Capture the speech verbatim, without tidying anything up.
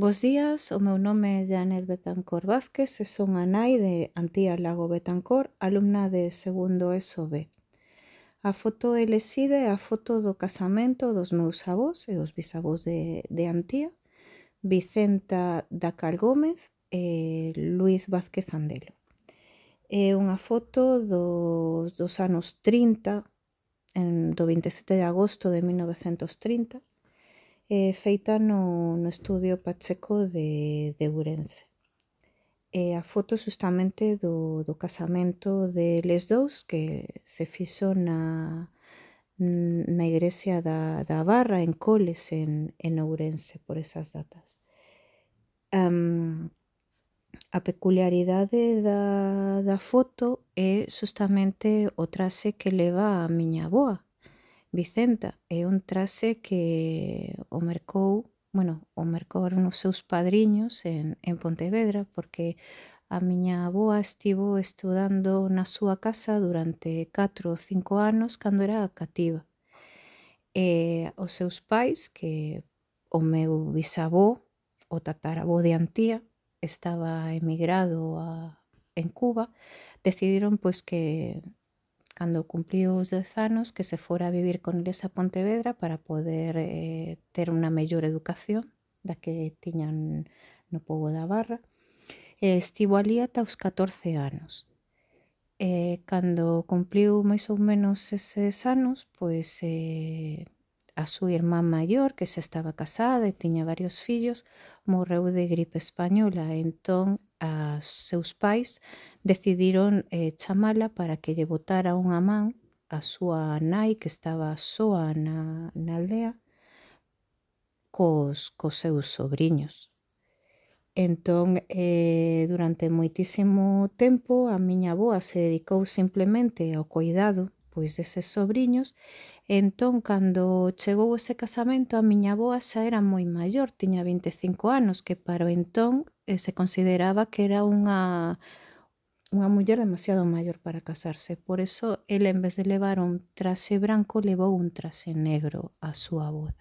Bos días, o meu nome é Janet Betancor Vázquez e son a nai de Antía Lago Betancor, alumna de segundo ESO B. A foto elexida é a foto do casamento dos meus avós e os bisavós de, de Antía, Vicenta Dacal Gómez e Luís Vázquez Andelo. É unha foto dos, dos anos trinta, en, do vinte e sete de agosto de mil novecentos trinta, eh, feita no, no estudio Pacheco de, de Ourense. E a foto justamente do, do casamento deles dous que se fixo na, na igrexa da, da Barra, en Coles, en, en Ourense, por esas datas. Um, a peculiaridade da, da foto é justamente o traxe que leva a miña avoa, Vicenta. É un traxe que o mercou, bueno, o mercaron os seus padriños en, en Pontevedra, porque a miña avoa estivo estudando na súa casa durante catro ou cinco anos cando era cativa. E os seus pais, que o meu bisavó, o tataravó de Antía, estaba emigrado a, en Cuba, decidiron pois que cando cumpliu os dez anos que se fora a vivir con eles a Pontevedra para poder eh, ter unha mellor educación da que tiñan no pobo da Barra. E estivo ali ata os catorce anos. E cando cumpliu máis ou menos eses anos, pois eh, a súa irmá maior, que xa estaba casada e tiña varios fillos, morreu de gripe española. Entón, os seus pais decidiron eh, chamala para que lle botara unha man a súa nai, que estaba soa na, na aldea, cos, cos seus sobriños. Entón, eh, durante moitísimo tempo, a miña avoa se dedicou simplemente ao cuidado pois deses sobriños. Entón, cando chegou ese casamento, a miña avoa xa era moi maior, tiña vinte e cinco anos, que para o entón eh, se consideraba que era unha, unha muller demasiado maior para casarse. Por eso, ele, en vez de levar un traxe branco, levou un traxe negro a súa boda.